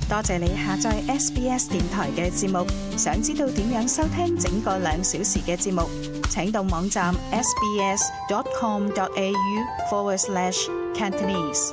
多謝你下載 SBS 電台嘅節目。想知道點樣收聽整個2小時嘅節目，請到網站 sbs.com.au/Cantonese。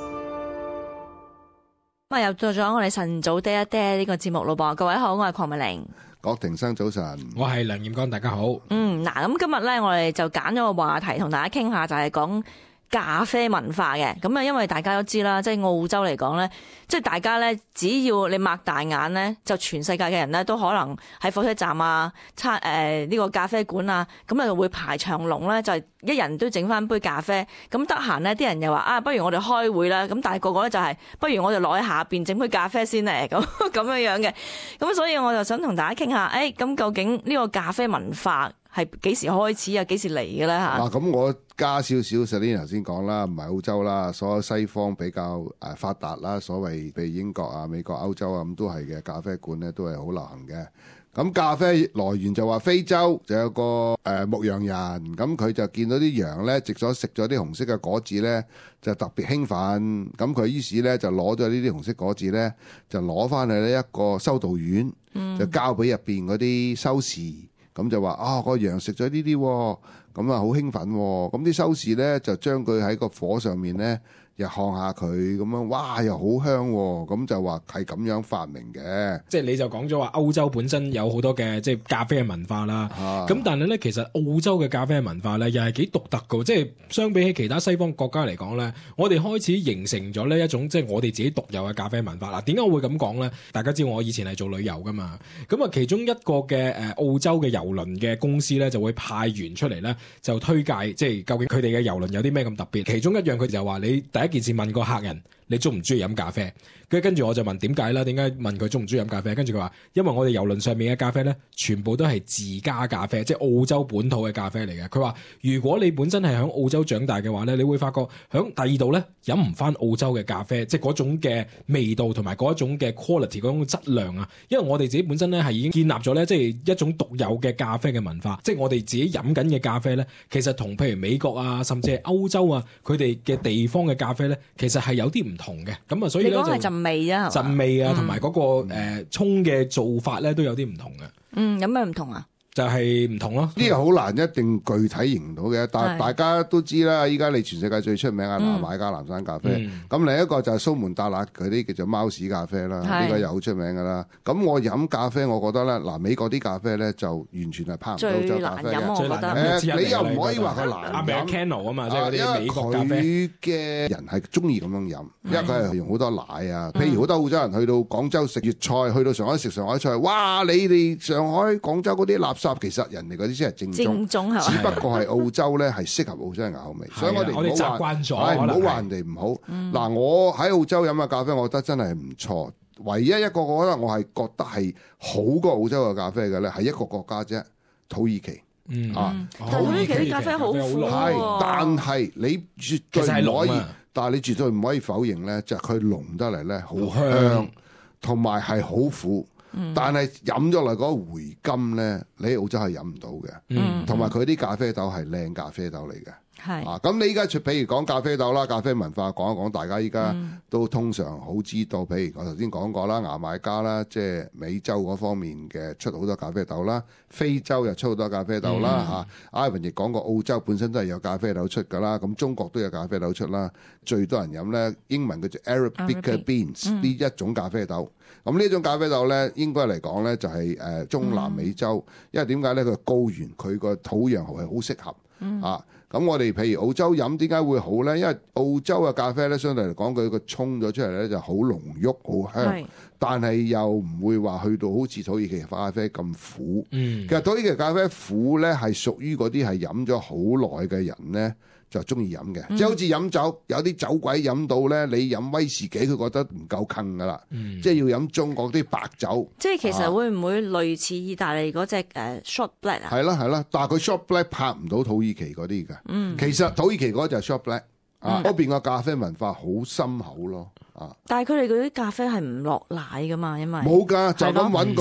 咁又到咗我哋晨早爹一爹呢個節目咯噃，各位好，我係鄺美玲。郭庭生早晨，我係梁彥剛，大家好。嗱，咁今日咧我哋就揀咗個話題同大家傾下，就係講咖啡文化嘅。咁啊，因為大家都知啦，即係澳洲嚟講咧，即係大家咧，只要你擘大眼咧，就全世界嘅人咧都可能喺火車站啊、呢個咖啡館啊，咁啊會排長龍咧，就一人都整翻杯咖啡。咁得閒咧，啲人又話不如我哋開會啦。咁但係個個咧就係不如我哋落喺下邊整杯咖啡先咧，咁樣嘅。咁所以我就想同大家傾下，咁究竟呢個咖啡文化係幾時開始啊？幾時嚟嘅咧嚇？咁我加少少，Selina頭先講啦，唔係澳洲啦，所有西方比較發達啦，所謂譬如英國啊、美國、歐洲啊咁都係嘅，咖啡館咧都係好流行嘅。咁咖啡來源就話非洲就有個牧羊人，咁佢就見到啲羊咧食咗啲紅色嘅果子咧，就特別興奮。咁佢於是咧就攞咗呢啲紅色果子咧，就攞翻去呢一個修道院，就交俾入邊嗰啲修士。咁就話個羊食咗呢啲，咁啊好興奮。咁啲修士咧就將佢喺個火上面咧，又烘下佢咁樣，哇又好香。咁就話係咁樣發明嘅。即係你就講咗話歐洲本身有好多嘅即係咖啡嘅文化啦。咁但係咧，其實澳洲嘅咖啡嘅文化咧，又係幾獨特㗎。即係相比起其他西方國家嚟講咧，我哋開始形成咗呢一種即係我哋自己獨有嘅咖啡文化。嗱，點解我會咁講咧？大家知道我以前係做旅遊噶嘛。咁啊，其中一個嘅澳洲嘅郵輪嘅公司咧，就會派員出嚟咧，就推介即係究竟佢哋嘅郵輪有啲咩咁特別。其中一樣佢就話你第一件事問個客人你中唔中意飲咖啡，跟住我就問點解啦？點解問佢中唔中意飲咖啡？跟住佢話因為我哋郵輪上面嘅咖啡咧，全部都係自家咖啡，即係澳洲本土嘅咖啡嚟嘅。佢話如果你本身係喺澳洲長大嘅話咧，你會發覺喺第二度咧飲唔翻澳洲嘅咖啡，即係嗰種嘅味道同埋嗰一種嘅 quality 嗰種質量啊。因為我哋自己本身咧係已經建立咗咧，即係一種獨有嘅咖啡嘅文化，即係我哋自己飲緊嘅咖啡咧，其實同譬如美國啊，甚至係歐洲啊，佢哋嘅地方嘅咖啡咧，其實係有啲唔同嘅。咁啊，所以咧就你講係陣味啊，陣味啊，同埋嗰個沖嘅做法咧都有啲唔同嘅。有咩唔同啊？就係唔同咯，呢個好難一定具體形容到嘅，但係大家都知啦。依家你全世界最出名嘅牙買加藍山咖啡，咁另一個就係蘇門答臘嗰啲叫做貓屎咖啡啦，呢個又好出名㗎啦。咁我飲咖啡，我覺得咧，美國啲咖啡咧就完全係拋唔到澳洲咖啡嘅。最難飲，你又唔可以話佢難飲。Americano 啊嘛，即係嗰啲美國咖啡。佢嘅人係中意咁樣飲，因為佢係用好多奶啊。譬如好多澳洲人去到廣州食粵菜，去到上海食上海菜，哇！你哋上海、廣州嗰啲垃圾，其實人哋嗰啲先係正宗，只不過係澳洲咧係適合澳洲人嘅口味，所以我哋習慣咗，唔好話人哋唔好。嗱，我喺澳洲飲嘅咖啡，我覺得真係唔錯。唯一一個我覺得我係覺得係好過澳洲嘅咖啡嘅咧，係一個國家啫，土耳其。土耳其啲咖啡好苦喎，但係你絕對唔可以，但係你絕對唔可以否認咧，就係佢濃得嚟咧好香，同埋係好苦。但係飲咗嚟嗰個回甘咧，你喺澳洲係飲唔到嘅。同埋佢啲咖啡豆係靚咖啡豆嚟嘅。咁你依家譬如講咖啡豆啦，咖啡文化講一講，大家依家都通常好知道。譬如我頭先講過啦，牙買加啦，即係美洲嗰方面嘅出好多咖啡豆啦，非洲又出好多咖啡豆啦。Ivan 亦講過澳洲本身都係有咖啡豆出㗎啦，咁中國都有咖啡豆出啦。最多人飲咧，英文叫做 Arabica beans 呢一種咖啡豆。咁呢種咖啡豆咧，應該嚟講咧就係中南美洲，因為點解咧？佢高原，佢個土壤係好適合。咁我哋譬如澳洲飲點解會好咧？因為澳洲嘅咖啡咧，相對嚟講佢個沖咗出嚟咧就好濃郁、好香，但係又唔會話去到好似土耳其咖啡咁苦。其實土耳其咖啡苦咧係屬於嗰啲係飲咗好耐嘅人咧就中意飲嘅，即係好似飲酒，有啲酒鬼飲到咧，你飲威士忌佢覺得唔夠坑噶啦，即係要飲中國啲白酒。即係其實會唔會類似意大利嗰隻short black 啊？係啦，但係佢 short black 拍唔到土耳其嗰啲嘅。其實土耳其嗰就係 short black，嗰邊個咖啡文化好深厚咯。但係佢哋嗰啲咖啡係唔落奶噶嘛，因為冇㗎，就咁揾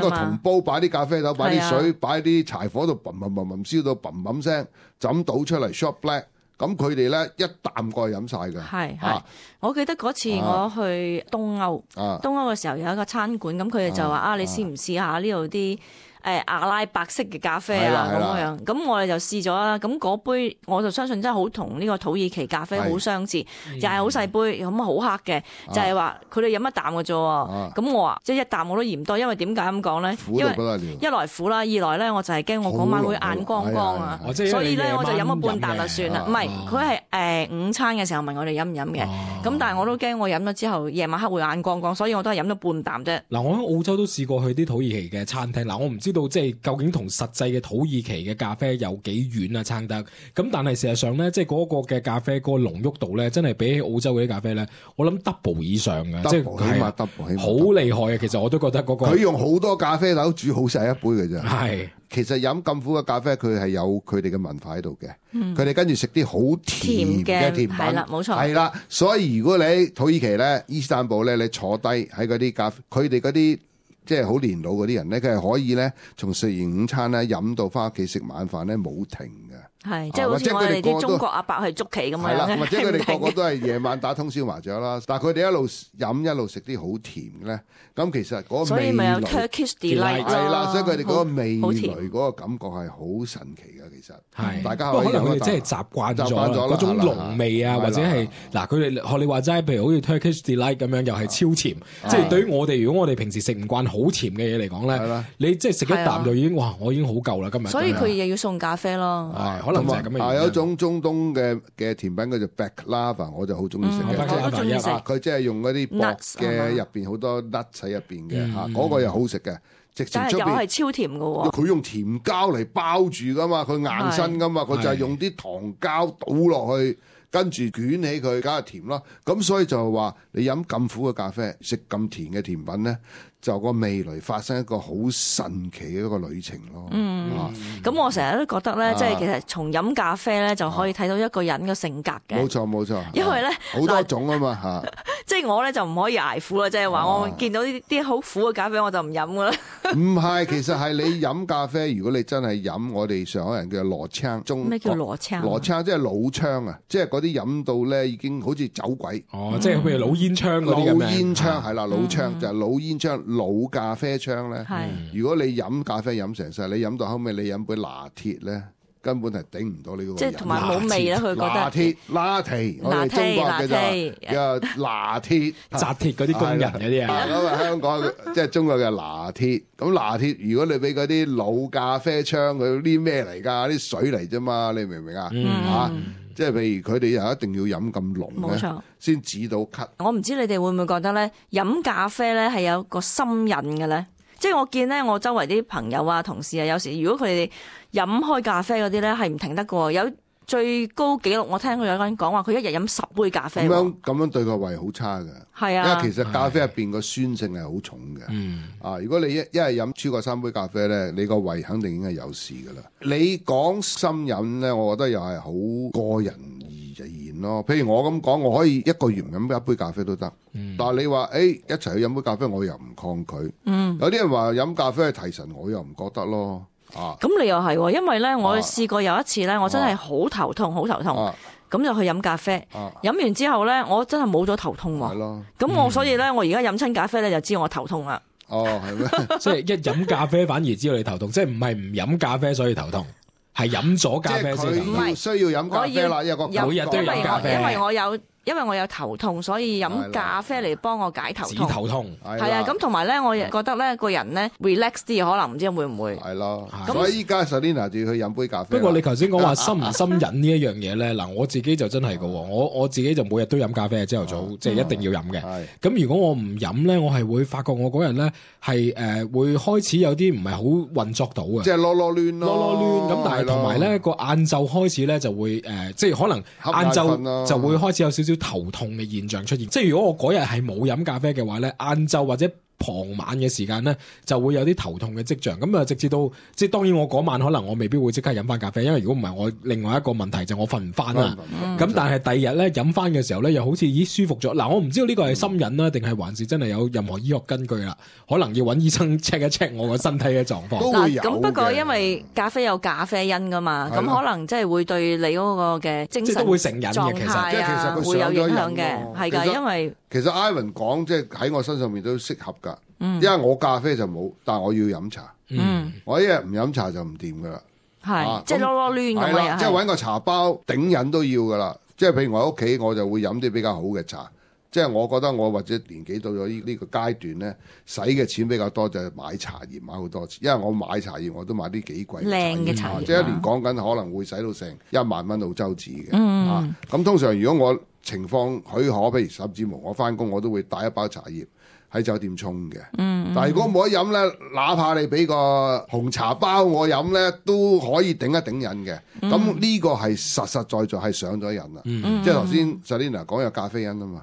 個銅煲，擺啲咖啡豆，擺啲水，擺啲柴火度，砰砰砰砰燒到砰砰聲，就咁倒出嚟 short black。咁佢哋咧一啖過去飲晒嘅。係，我記得嗰次我去東歐，東歐嘅時候有一個餐館，咁佢哋就話你試唔試下呢度啲阿拉伯式嘅咖啡啊咁樣，咁我哋就試咗啦。咁嗰杯我就相信真係好同呢個土耳其咖啡好相似，又係好細杯，咁好黑嘅，就係話佢哋飲一啖嘅啫。咁我話即係一啖我都嫌多，因為點解咁講咧？因為一來苦啦，二來咧我就係驚我嗰晚會眼光光啊，所以咧我就飲咗半啖就算啦。唔係，佢係午餐嘅時候問我哋飲唔飲嘅，咁但係我都驚我飲咗之後夜晚黑會眼光光，所以我都係飲咗半啖啫。嗱，我喺澳洲都試過去啲土耳其嘅餐廳，嗱，我唔知道即係究竟同實際嘅土耳其嘅咖啡有幾遠啊撐得，咁但係事實上咧，即係嗰個嘅咖啡嗰個濃郁度咧，真係比起澳洲嗰啲咖啡咧，我諗 double 以上嘅，即係起碼 double 好厲害嘅。其實我都覺得嗰個佢用好多咖啡豆煮好細一杯嘅啫。係，其實飲咁苦嘅咖啡，佢係有佢哋嘅文化喺度嘅。佢哋跟住食啲好甜嘅甜品，係啦，冇錯，係啦。所以如果你喺土耳其咧、伊斯坦堡咧，你坐低喺嗰啲咖啡，佢哋嗰啲即係好年老嗰啲人咧，佢係可以咧，從食完午餐咧飲到翻屋企食晚飯咧冇停嘅。係，即係好似我哋啲中國阿伯去捉棋咁樣。係啦，或者佢哋個個都係夜晚打通宵麻雀啦，但係佢哋一路飲一路食啲好甜嘅咧，咁其實嗰個味蕾，所以咪有 Turkish delight 咯。係啦，所以佢哋嗰個味蕾嗰個感覺係好神奇嘅。其實係，大家可能佢哋真係習慣咗嗰種濃味啊，或者係嗱佢哋學你話齋，譬如好似 Turkish delight 咁樣，又係超甜。即係對於我哋，如果我哋平時食唔慣好甜嘅嘢嚟講咧，你即係食一啖就已經哇，我已經好夠啦今日。所以佢又要送咖啡咯。可能就係咁嘅。有一種中東嘅甜品叫做 baklava，我就好中意食嘅。我都中意食。佢即係用嗰啲薄嘅入邊好多 nut 喺入邊嘅嚇，嗰個又好食嘅。但係又係超甜嘅喎。佢用甜膠嚟包住噶嘛，佢硬身噶嘛，佢就係用啲糖膠倒落去，跟住捲起佢，梗係甜咯。咁所以就係話你飲咁苦嘅咖啡，食咁甜嘅甜品咧，就個味蕾發生一個好神奇嘅一個旅程咯。咁我成日都覺得咧，即係其實從飲咖啡咧就可以睇到一個人嘅性格嘅。冇錯冇錯，因為咧好多種啊嘛嚇。即係我咧就唔可以捱苦啦，即係話我見到呢啲好苦嘅咖啡我就唔飲噶啦。唔係，其實係你飲咖啡，如果你真係飲我哋上海人叫羅槍，咩叫羅槍？羅槍即係老槍啊，即係嗰啲飲到咧已經好似走鬼。即係譬如老煙槍嗰啲咁樣。老煙槍係啦，老槍就係老煙槍，老咖啡槍咧。如果你飲咖啡飲成世，你飲到後尾你飲杯拿鐵咧，根本係頂唔到呢個。即係同埋冇味啦，佢覺得。拿鐵，拿鐵，我哋中國嘅就拿鐵，紮鐵嗰啲工人嗰啲啊。咁啊，香港即係中國嘅拿鐵。咁拿鐵，如果你俾嗰啲老咖啡槍，佢啲咩嚟㗎？啲水嚟啫嘛，你明唔明啊？嚇！即係譬如佢哋又一定要飲咁濃咧，先止到咳。我唔知你哋會唔會覺得咧，飲咖啡咧係有個心癮嘅咧？即係我見咧，我周圍啲朋友啊、同事啊，有時如果佢哋飲開咖啡嗰啲咧，係唔停得嘅。有最高紀錄，我聽過有個人講話，佢一日飲10杯咖啡。咁樣對個胃好差㗎。係啊，因為其實咖啡入邊個酸性係好重嘅。如果你一日飲超過3杯咖啡咧，你個胃肯定已經係有事㗎啦。你講心癮咧，我覺得又係好個人而言咯。譬如我咁講，我可以一個月唔飲一杯咖啡都得。但係你話一齊去飲杯咖啡，我又唔抗拒。有啲人話飲咖啡係提神，我又唔覺得咯。咁你又係，因為咧我試過有一次咧，我真係好頭痛，咁就去飲咖啡。飲完之後咧，我真係冇咗頭痛喎。係咯。咁我所以咧，我而家飲親咖啡咧，就知我頭痛啦。係咩？即係一飲咖啡反而知道你頭痛，即係唔係唔飲咖啡所以頭痛，係飲咗咖啡先頭痛。唔係需要飲咖啡啦，每日都要飲咖啡。因為我有頭痛，所以飲咖啡嚟幫我解頭痛。止頭痛係啊，咁同埋咧，我亦覺得咧個人咧 relax 啲，可能唔知會唔會係咯。所以依家 Selina 就要去飲杯咖啡。不過你頭先講話心唔心癮呢一樣嘢咧，嗱我自己就真係㗎喎，我自己就每日都飲咖啡，朝頭早即係一定要飲嘅。咁如果我唔飲咧，我係會發覺我嗰日咧係會開始有啲唔係好運作到嘅，即係囉囉攣咯。咁但係同埋咧個晏晝開始咧就會即係可能晏晝就會開始有少少頭痛嘅現象出現，即係如果我嗰日係冇飲咖啡嘅話咧，晏晝或者傍晚嘅時間咧就會有啲頭痛嘅跡象。咁啊，直至到即係當然我嗰晚可能我未必會即刻飲翻咖啡，因為如果唔係我另外一個問題就我瞓唔翻啦。咁但係第二日咧飲翻嘅時候咧又好似舒服咗。嗱，我唔知道呢個係心癮啦，定係還是真係有任何醫學根據啦？可能要揾醫生 check 一 check 我個身體嘅狀況。都會有嘅。咁不過因為咖啡有咖啡因噶嘛，咁可能即係會對你嗰個嘅精神都會成癮嘅，其實會有影響嘅，係㗎，因為其實 Ivan 講即係喺我身上面都適合㗎，因為我咖啡就冇，但係我要飲茶，我一日唔飲茶就唔掂㗎啦，係即係囉囉攣咁樣，即係揾個茶包頂癮都要㗎啦。即係譬如我喺屋企，我就會飲啲比較好嘅茶。即係我覺得我或者年紀到咗呢個階段咧，使嘅錢比較多就係買茶葉買好多次，因為我買茶葉我都買啲幾貴靚嘅茶葉，即係一年講緊可能會使到成1萬蚊澳洲紙嘅。咁通常如果我情況許可，譬如甚至乎我翻工我都會帶一包茶葉喺酒店沖嘅。但係如果冇得飲咧，哪怕你俾個紅茶包我飲咧，都可以頂一頂癮嘅。咁呢個係實實在在係上咗癮啦。即係頭先 Selina 講有咖啡因啊嘛，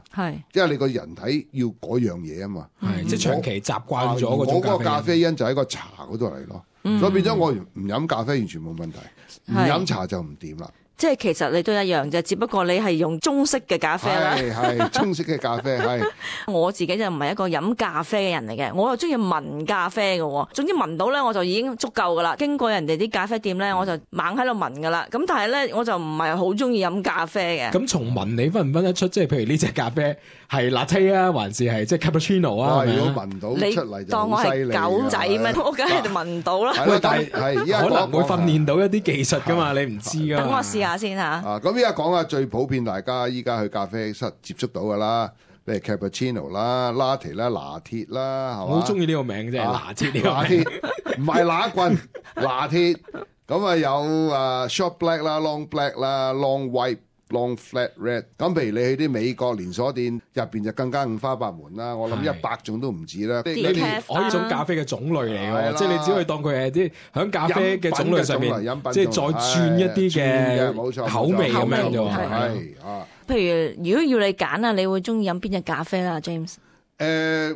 即係你個人體要嗰樣嘢啊嘛，即係長期習慣咗嗰種嗰個咖啡因就喺個茶嗰度嚟咯。所以變咗我唔飲咖啡完全冇問題，唔飲茶就唔掂啦。即係其實你都一樣啫，只不過你係用中式嘅咖啡啦。係中式嘅咖啡係。我自己就唔係一個飲咖啡嘅人嚟嘅，我又中意聞咖啡嘅。總之聞到咧我就已經足夠噶啦。經過人哋啲咖啡店咧，我就猛喺度聞噶啦。咁但係咧我就唔係好中意飲咖啡嘅。咁從聞你分唔分得出？即係譬如呢隻咖啡係 latte 啊，還是係即係 cappuccino 啊？如果聞到出嚟就好犀利。你當我係狗仔咩？我梗係聞唔到啦。但係可能會訓練到一啲技術噶嘛，你唔知噶。等我試下先嚇。咁依家講下最普遍，大家依家去咖啡室接觸到噶啦，例如 cappuccino 啦、latte 啦、拿鐵啦，係嘛？我好中意呢個名啫，拿鐵呢個名，唔係拿棍，拿鐵。咁啊有short black 啦、long black 啦、long white、long flat red。咁譬如你去啲美國連鎖店入邊就更加五花八門啦，我諗100種都唔止啦。呢啲種咖啡嘅種類嚟嘅，即係你只可以當佢係啲響咖啡嘅種類上面，即係再轉一啲嘅口味咁樣啫。係譬如如果要你揀啊，你會中意飲邊隻咖啡啦 ，James？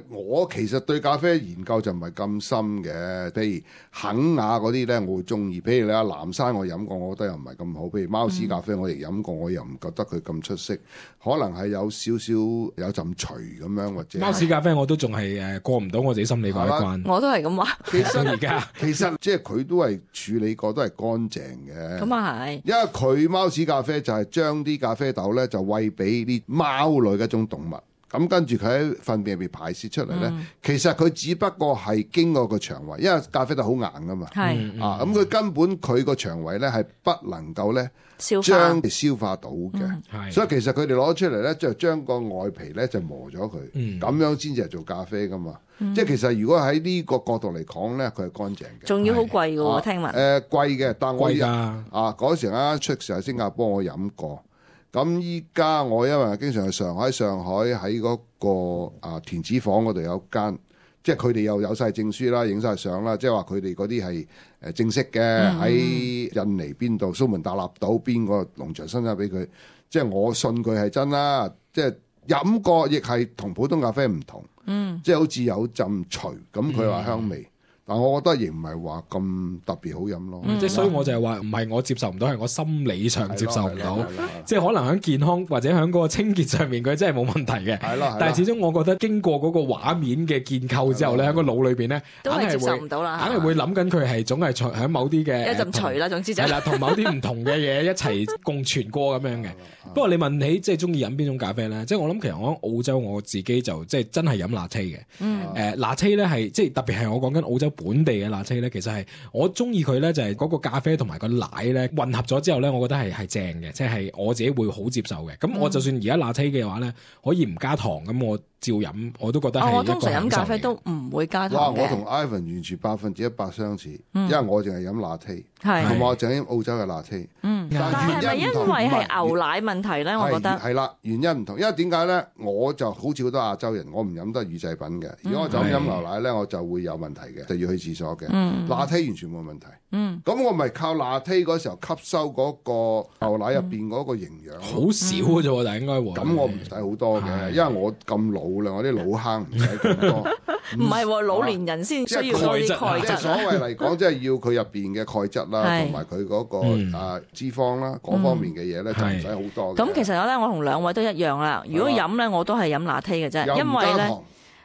我其實對咖啡研究就唔係咁深嘅，譬如肯亞嗰啲咧，我會中意。譬如你阿藍山我飲過，我覺得又唔係咁好。譬如貓屎咖啡我亦飲過，我又唔覺得佢咁出色，可能係有少少有陣除咁樣或者。貓屎咖啡我都仲係過唔到我自己心理嗰一關。我都係咁話。其實而家其實即係佢都係處理過，都係乾淨嘅。咁啊係。因為佢貓屎咖啡就係將啲咖啡豆咧就餵俾啲貓類嘅一種動物。咁跟住佢喺糞便入邊排泄出嚟咧，其實佢只不過係經過個腸胃，因為咖啡豆好硬噶嘛，咁佢根本佢個腸胃咧係不能夠咧將消化到嘅，所以其實佢哋攞出嚟咧就將個外皮咧就磨咗佢，咁樣先至係做咖啡噶嘛。即係其實如果喺呢個角度嚟講咧，佢係乾淨嘅，仲要好貴嘅喎，聽聞。貴嘅，但我嗰時啱出時喺新加坡我飲過。咁依家我因為經常去上海喺嗰個田子坊嗰度有間，即係佢哋又有晒證書啦，影晒相啦，即係話佢哋嗰啲係正式嘅，喺印尼邊度蘇門答臘島邊個農場生產俾佢，即係我信佢係真啦，即係飲過亦係同普通咖啡唔同，即係好似有陣除咁佢話香味。但我覺得亦唔係話咁特別好飲咯，即係所以我就係話唔係我接受唔到，係我心理上接受唔到，即係可能喺健康或者喺嗰個清潔上面佢真係冇問題嘅，但係始終我覺得經過嗰個畫面嘅建構之後咧，喺個腦裏邊咧，都係接受唔到啦，硬係會諗緊佢係總係喺某啲嘅一陣除啦，總之就係啦，同某啲唔同嘅嘢一齊共存過咁樣嘅。不過你問起即係中意飲邊種咖啡咧，即係我諗其實我喺澳洲我自己就即係真係飲 latte 嘅，latte 咧係即係特別係我講緊澳洲本地嘅 latte 咧，其實係我中意佢咧就係嗰個咖啡同埋個奶咧混合咗之後咧，我覺得係正嘅，即係我自己會好接受嘅。咁我就算而家 latte 嘅話咧，可以唔加糖咁我照飲，我都覺得係一個享受。我通常飲咖啡都唔會加糖嘅。我同 Ivan 完全100%相似，因為我淨係飲 latte，同埋我淨係飲澳洲嘅 latte。但係咪因為係牛奶問題咧？我覺得係啦，原因唔同。因為點解咧？我就好似好多亞洲人，我唔飲得乳製品嘅。如果我就咁飲牛奶咧，我就會有問題嘅，就要去廁所嘅。latte 完全冇問題。咁我咪靠 latte 嗰時候吸收嗰個牛奶入邊嗰個營養。好少嘅啫，但係應該咁我唔使好多嘅，因為我咁老啦，我啲老坑唔使咁多。唔係老年人先需要多啲鈣質。所謂嚟講，即係要佢入邊嘅鈣質啦，同埋佢嗰個脂肪啦，嗰方面嘅嘢咧就唔使好多。咁其實咧，我同兩位都一樣啦。如果飲咧，我都係飲拿鐵嘅啫，因為咧。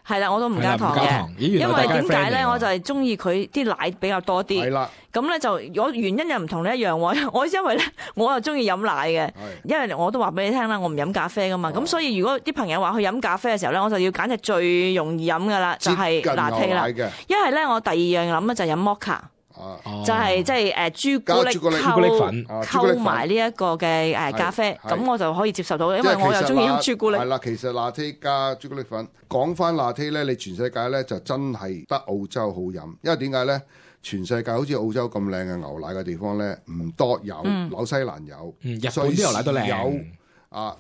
係啦，我都唔加糖嘅，因為點解咧？我就係中意佢啲奶比較多啲。係啦，咁咧就我原因又唔同你一樣喎。我因為咧，我又中意飲奶嘅，因為我都話俾你聽啦，我唔飲咖啡噶嘛。咁所以如果啲朋友話去飲咖啡嘅時候咧，我就要揀隻最容易飲噶啦，就係拿鐵啦。一係咧，我第二樣諗咧就飲摩卡。就係即係朱古力粉溝埋呢一個嘅咖啡，咁我就可以接受到，因為我又中意飲朱古力。係啦，其實拿鐵加朱古力粉，講翻拿鐵咧，你全世界咧就真係得澳洲好飲，因為點解咧？全世界好似澳洲咁靚嘅牛奶嘅地方咧唔多有，紐西蘭有，日本啲牛奶都靚有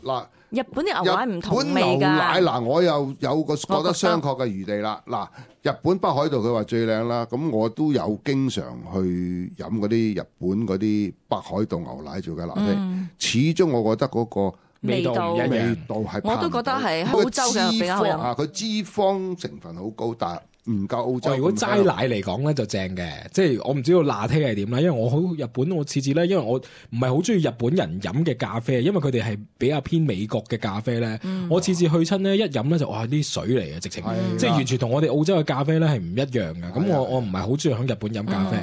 嗱。日本啲牛奶唔同味㗎。日本牛奶嗱，我又有個覺得商榷嘅餘地啦。嗱，日本北海道佢話最靚啦，咁我都有經常去飲嗰啲日本嗰啲北海道牛奶做嘅拿鐵，始終我覺得嗰個味道係，我都覺得係澳洲嘅比較好飲。佢脂肪成分好高，但唔夠澳洲。如果齋奶嚟講咧就正嘅，即係我唔知道拿鐵係點啦，因為我好日本我次次咧，因為我唔係好中意日本人飲嘅咖啡，因為佢哋係比較偏美國嘅咖啡咧。我次次去親咧一飲咧就哇啲水嚟嘅，直情即係完全同我哋澳洲嘅咖啡咧係唔一樣嘅。咁我唔係好中意喺日本飲咖啡。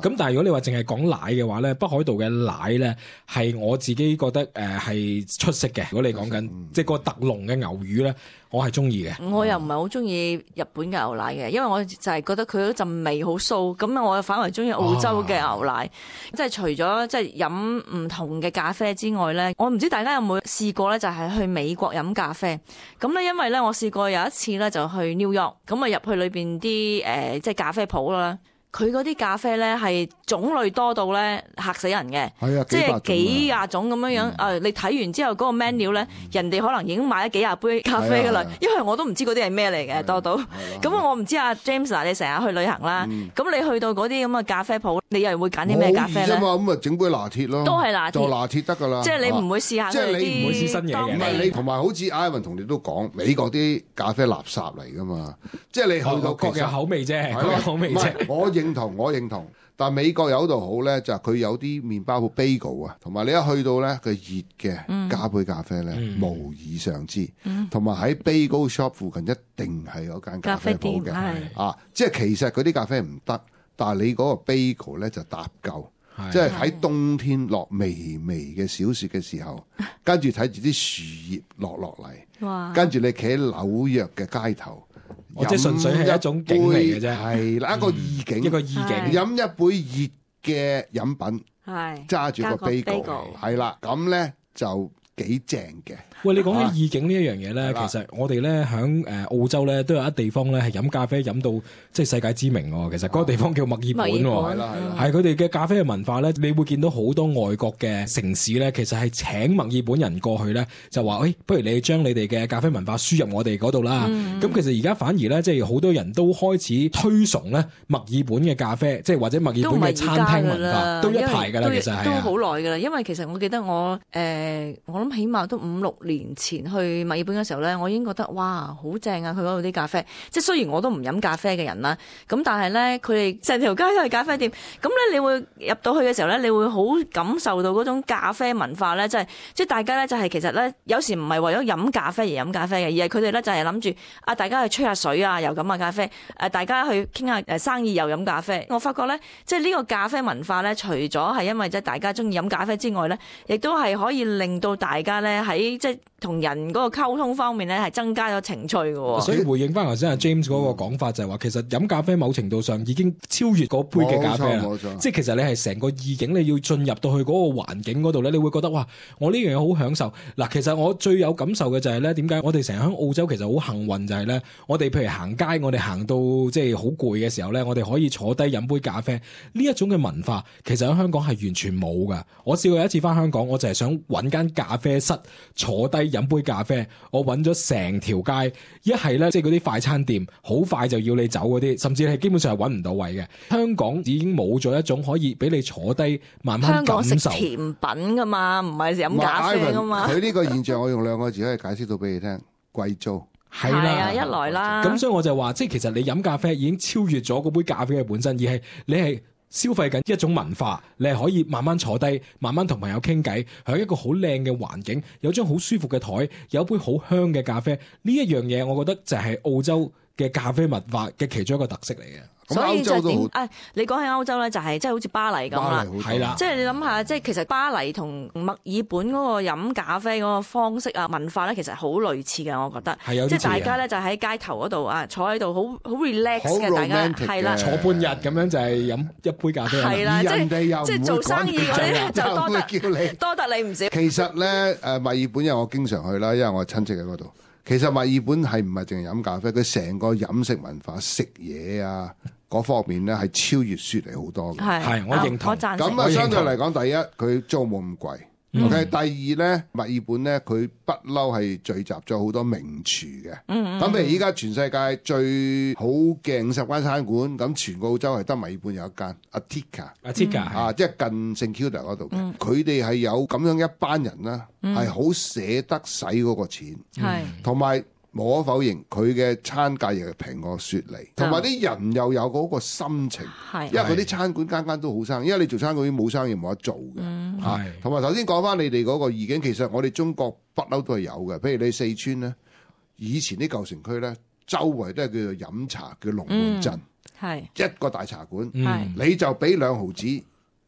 咁但係如果你話淨係講奶嘅話咧，北海道嘅奶咧係我自己覺得係出色嘅。如果你講緊即係個特濃嘅牛乳咧，我係中意嘅。我又唔係好中意日本嘅牛奶嘅，因為我就係覺得佢嗰陣味好騷，咁我反而中意澳洲嘅牛奶。即係除咗即係飲唔同嘅咖啡之外咧，我唔知大家有冇試過咧，就係去美國飲咖啡。咁咧，因為咧我試過有一次咧就去 New York，咁啊入去裏邊啲即係咖啡鋪啦。佢嗰啲咖啡咧係種類多到咧嚇死人嘅，即係幾廿種咁樣樣。你睇完之後嗰個 menu 咧，人哋可能已經買咗幾廿杯咖啡噶啦，因為我都唔知嗰啲係咩嚟嘅多到。咁我唔知阿 James 嗱，你成日去旅行啦，咁你去到嗰啲咁嘅咖啡鋪，你又會揀啲咩咖啡咧？咁啊整杯拿鐵咯，都係拿鐵，就拿鐵得噶啦。即係你唔會試下佢啲，即係你唔會試新嘢嘅。唔係你同埋好似 Ivan 同你都講，美國啲咖啡垃圾嚟噶嘛，即係你去到各有口味啫，各有口味啫。我認同。但美國有度好咧，就係佢有啲麵包鋪 bagel 啊，同埋你一去到咧，佢熱嘅加杯咖啡咧，無以尚之。同埋喺 bagel shop 附近一定係有間咖啡鋪嘅，即係其實嗰啲咖啡唔得，但係你嗰個 bagel 咧就搭夠，即係喺冬天落微微嘅小雪嘅時候，跟住睇住啲樹葉落嚟，跟住你企喺紐約嘅街頭。即係純粹係一種景嚟嘅啫，係啦，一個意境，一個意境。飲一杯熱嘅飲品，揸住個 bagel，係啦，咁咧就幾正嘅。喂，你講起意境呢一樣嘢咧，其實我哋咧喺澳洲咧都有一地方咧係飲咖啡飲到即係世界知名喎。其實嗰個地方叫墨爾本喎，係佢哋嘅咖啡嘅文化咧，你會見到好多外國嘅城市咧，其實係請墨爾本人過去咧，就話不如你將你哋嘅咖啡文化輸入我哋嗰度啦。咁其實而家反而咧，即係好多人都開始推崇咧墨爾本嘅咖啡，即係或者墨爾本嘅餐廳文化都一排㗎啦。其實係都好耐㗎啦，因為其實我記得我諗起碼都5-6年前去墨爾本嘅時候咧，我已經覺得哇好正啊！佢嗰度啲咖啡，即係雖然我都唔飲咖啡嘅人啦，咁但係咧佢哋成條街都係咖啡店，咁咧你會入到去嘅時候咧，你會好感受到嗰種咖啡文化咧，即係大家咧就係其實咧有時唔係為咗飲咖啡而飲咖啡嘅，而係佢哋咧就係諗住大家去吹下水啊，又飲下咖啡，大家去傾下生意又飲咖啡。我發覺咧，即係呢個咖啡文化咧，除咗係因為即係大家中意飲咖啡之外咧，亦都係可以令到大家咧喺即係同人嗰個溝通方面咧係增加咗情趣嘅。所以回應翻頭先阿 James 嗰個講法就係話，其實飲咖啡某程度上已經超越嗰杯嘅咖啡啦。即係其實你係成個意境，你要進入到去嗰個環境嗰度咧，你會覺得哇，我呢樣嘢好享受。嗱，其實我最有感受嘅就係咧，點解我哋成日喺澳洲其實好幸運就係咧，我哋譬如行街，我哋行到即係好攰嘅時候咧，我哋可以坐低飲杯咖啡。呢一種嘅文化其實喺香港係完全冇噶。我試過有一次翻香港，我就係想揾間咖啡室坐低飲杯咖啡，我揾咗成條街，一係咧即係嗰啲快餐店，好快就要你走嗰啲，甚至係基本上係揾唔到位嘅。香港已經冇咗一種可以俾你坐低慢慢感受。香港食甜品噶嘛，唔係飲咖啡噶嘛。佢呢個現象我用2個字可以解釋到俾你聽：貴租。係啦，一來啦。咁所以我就話，即係其實你飲咖啡已經超越咗嗰杯咖啡嘅本身，而係你係消費緊一種文化，你係可以慢慢坐低，慢慢同朋友傾偈，喺一個好靚嘅環境，有張好舒服嘅台，有一杯好香嘅咖啡，呢一樣嘢，我覺得就係澳洲嘅咖啡文化嘅其中一個特色嚟嘅。所以就點？你講起歐洲咧，就係即係好似巴黎咁啦，係啦。即係你諗下，即係其實巴黎同墨爾本嗰個飲咖啡嗰個方式啊、文化咧，其實好類似嘅，我覺得。係有啲似。即係大家咧就喺街頭嗰度啊，坐喺度好 relax 嘅，大家係啦，坐半日咁樣就係飲一杯咖啡。係啦，即係做生意嗰啲咧就多得你唔少。其實咧墨爾本因為我經常去啦，因為我親戚喺嗰度。其實墨爾本係唔係淨係飲咖啡？佢成個飲食文化、食嘢啊嗰方面咧係超越雪梨好多嘅。係，我認同。咁啊，相對嚟講，第一佢租冇咁貴。OK，第二咧，墨爾本咧佢不嬲係聚集咗好多名廚嘅。咁譬如依家全世界最好嘅50間餐館，咁全個澳洲係得墨爾本有一間 Atika 啊，即係近聖 Kilda 嗰度嘅。佢哋係有咁樣一班人啦，係好捨得使嗰個錢，同埋。無可否認，佢嘅餐價亦係平過雪梨，同埋啲人又有嗰個心情，因為嗰啲餐館間間都好生意，因為你做餐館冇生意冇得做嘅。同埋頭先講翻你哋嗰個意境，其實我哋中國不嬲都係有嘅。譬如你四川咧，以前啲舊城區咧，周圍都係叫做飲茶叫龍門陣，一個大茶館，你就俾2毫子。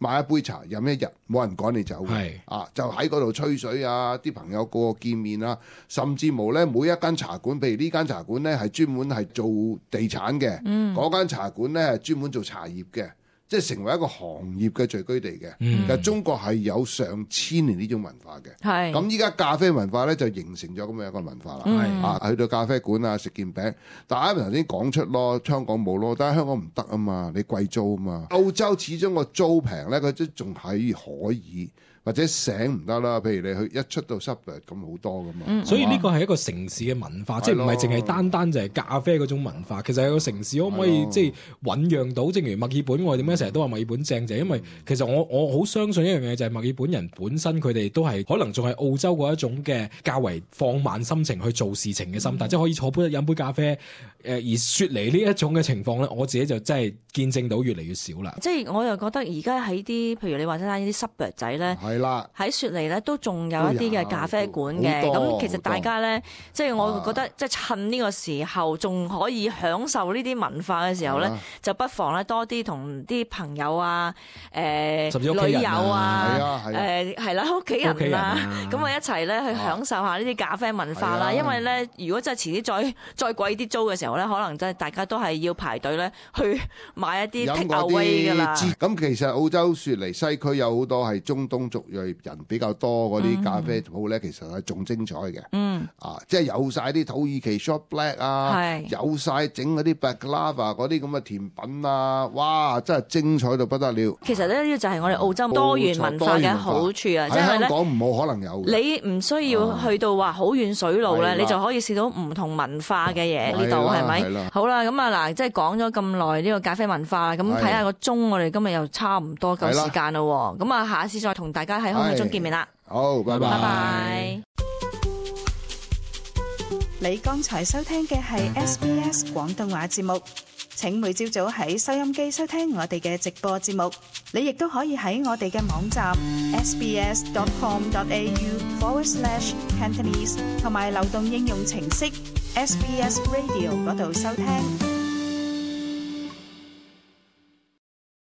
買一杯茶飲一日，冇人趕你走嘅，就喺嗰度吹水啊！啲朋友個個見面啊，甚至無咧每一間茶館，譬如呢間茶館咧係專門係做地產嘅，嗰間茶館咧係專門做茶葉嘅，即係成為一個行業嘅聚居地嘅。其實中國係有上千年呢種文化嘅。咁依家咖啡文化咧就形成咗咁樣一個文化啦。去到咖啡館啊食件餅，但係啱啱頭先講出咯，香港冇咯，但係香港唔得啊嘛，你貴租啊嘛。澳洲始終個租平咧，佢都仲係可以。或者醒唔得啦，譬如你去一出到 suburb 咁好多噶嘛，所以呢個係一個城市嘅文化，即係唔係淨係單就係咖啡嗰種文化。其實係個城市可唔可以即係醖釀到？正如墨爾本，我哋點解成日都話墨爾本正，就係因為其實我好相信一樣嘢，就係墨爾本人本身佢哋都係可能仲係澳洲嗰一種嘅較為放慢心情去做事情嘅心態，即係可以坐飲杯咖啡。而雪梨呢一種嘅情況咧，我自己就真係見證到越嚟越少啦。即係我又覺得而家喺啲，譬如你話齋呢啲 suburb 仔咧，喺雪梨咧都仲有一啲嘅咖啡館嘅。咁其實大家咧，即係我覺得即係趁呢個時候仲可以享受呢啲文化嘅時候咧，就不妨咧多啲同啲朋友啊、甚至女友啊、係啦屋企人啊，咁啊一齊咧去享受下呢啲咖啡文化啦。因為咧，如果真係遲啲再貴啲租嘅時候咧，可能真係大家都係要排隊咧去買一啲 take away 㗎啦。咁其實澳洲雪梨西區有好多係中東族裔人比較多嗰啲咖啡鋪咧，其實係仲精彩嘅。即係有晒啲土耳其 short black 啊，有晒整嗰啲 baklava 嗰啲咁嘅甜品啊，哇！真係精彩到不得了。其實呢啲就係我哋澳洲多元文化嘅好處啊，即係香港冇可能有嘅。你唔需要去到話好遠水路咧，你就可以試到唔同文化嘅嘢呢度係咪？好啦，咁啊嗱，即係講咗咁耐呢個咖啡文化，咁睇下個鐘，我哋今日又差唔多夠時間咯。咁啊，下一次再同大家喺空氣中見面啦。好，拜拜。拜拜。你剛才收聽嘅係 SBS 廣東話節目。請每朝早喺收音機收聽我哋嘅直播節目。你亦都可以喺我哋嘅網站 sbs.com.au/Cantonese 同埋流動應用程式 SBS Radio 嗰度收聽。